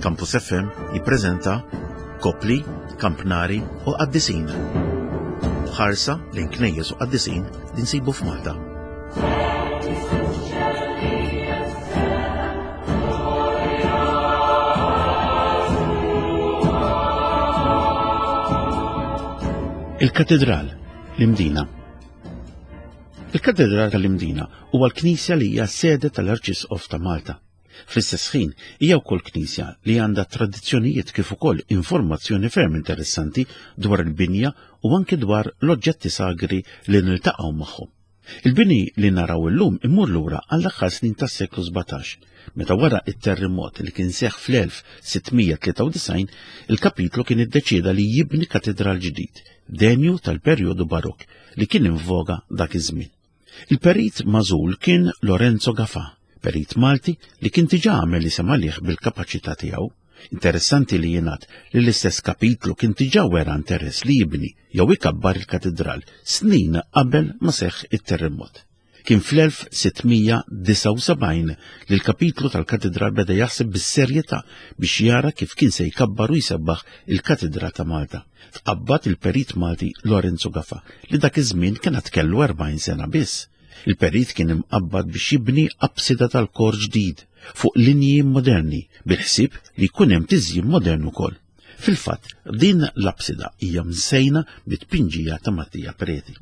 Campus FM jippreżenta Kopli, Kampnari u Qaddisin. Ħarsa lejn knejjes u qaddisin li nsibu f'Malta. Il-Katedral, l-Imdina. Il-Katedral tal-Imdina huwa l-knisja li hija sede tal-Arċisqof ta' Malta. Fl-istess ħin, hija wkoll knisja li għandha tradizzjonijiet kif ukoll informazzjoni ferm interessanti dwar il-binja u anki dwar l-oġġetti sagri li niltaqgħu magħhom. Il-bini li naraw illum imur lura għall-aħħar snin tas-seklu 17, meta wara it-terremot li kien seħħ fl-1693, il-kapitlu kien iddeċieda li jibni katedral ġdid, denju tal-perjodu barokk li kien in voga dak iż-żmien. Il-perit magħżul kien Lorenzo Gafà, perit Malti li kien diġà għamel isem għalih bil-kapaċità tiegħu. Interessanti li jingħad li l-istess kapitlu kien diġà wera interess li jibni jew ikabbar il-katidral snin qabel ma seħħ it-terremot. Kien fl-1679 li l-kapitlu tal-katidral beda jaħseb bis-serjetà biex jara kif kien se jkabbar u jsebbaħ il-Katidral ta' Malta. Tqabbad il-perit Malti Lorenzo Gafa li dak iż-żmien kien għad kellu 40 sena biss. Il-perit kien imqabbad biex jibni apsida tal-kor ġdid fuq linji moderni bil-ħsieb li jkun hemm tiżjin modern ukoll. Fil-fatt, din l-apsida hija msejna bit-tpinġija ta' Mattia Preti.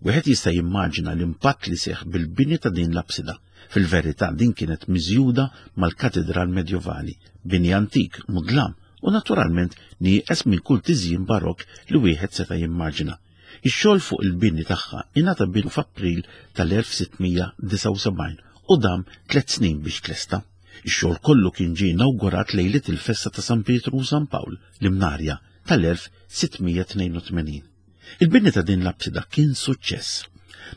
Wieħed jista' jimmaġina l-impatt li seħħ bil-bini ta' din l-apsida. Fil-verità din kienet miżjuda mal-katedral medjovali, bini antik, mudlam u naturalment nieqes minn kull tiżjin barokk li wieħed seta' jimmaġina. Ix-xogħol fuq il-bini tagħha ingħata bidu f'April tal-1679 u dam tliet snin biex tlesta. Ix-xogħol kollu kien ġie inawgurat lejliet il-festa ta' San Pietru u San Pawl, l-Imnarja, tal-1682. Il-bini ta' din l-apsida kien suċċess.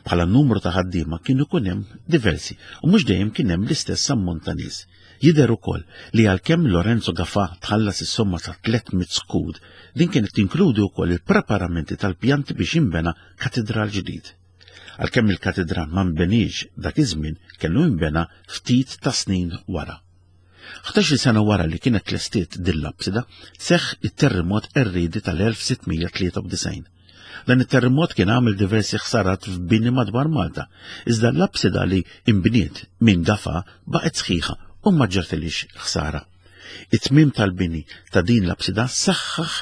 Bħala numru ta' ħaddiema kien ikun hemm diversi u mhux dejjem kien hemm l-istess ammont ta' nies. Jidher ukoll li għalkemm Lorenzo Gafà tħallas is-somma ta' 300 skud, din kienet tinkludi wkoll il-preparamenti tal-pjanti biex jinbena katidral ġdid. Għalkemm il-katidral ma nbeniex dak iż-żmien, kellu jinbena ftit ta' snin wara. 11-il sena wara li kienet tlestiet din l-apsida, seħħ it-terremot qerriedi tal-1693. Dan it-terremot kien għamel diversi ħsarat f'bini madwar Malta, iżda l-apsida li imbniet minn Gafa baqgħet sħiħa u ma ġartilix ħsara. It-tmiem tal-bini ta' din l-apsida saħħaħ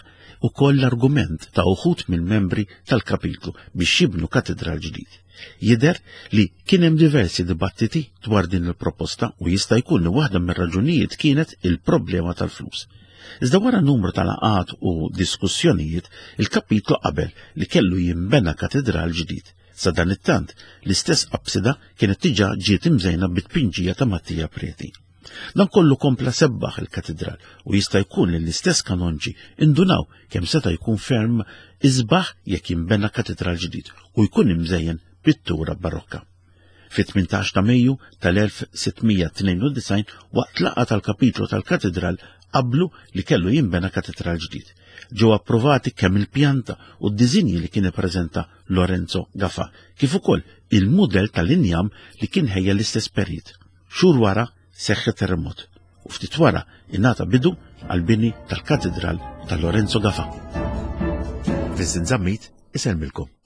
ukoll l-argument ta' uħud mill-membri tal-kapitlu biex jibnu katedral ġdid. Jidher li kien hemm diversi dibattiti dwar din il-proposta u jista' jkun li waħda mir-raġunijiet kienet il-problema tal-flus. Iżda wara numru ta' laqgħat u diskussjonijiet, il-kapitlu qabel li kellu jinbena katedral ġdid. Sa dan it-tant, l-istess apsida kienet diġà ġiet imżejna bit-tpinġija ta' Mattia Preti. Dan kollu kompla sebbaħ il-katedral u jista' jkun li l-istess kanonġi indunaw kemm seta' jkun ferm isbaħ jekk jinbena katedral ġdid u jkun imżejjen pittura barokka. Fit-18 ta' Mejju tal-1692 waqt laqgħa tal-kapitlu tal-katedral qablu li kellu jinbena katedral ġdid. Ġew approvati kemm il-pjanta u d-diżinji li kien ippreżenta Lorenzo Gafa, kif ukoll il-mudell tal-injam li kien ħejja l-istess perit. Xhur wara seħħ terremot u ftit wara ingħata bidu għall-bini tal-katedral ta' Lorenzo Gafa. Vincent Zammit isellmilkom.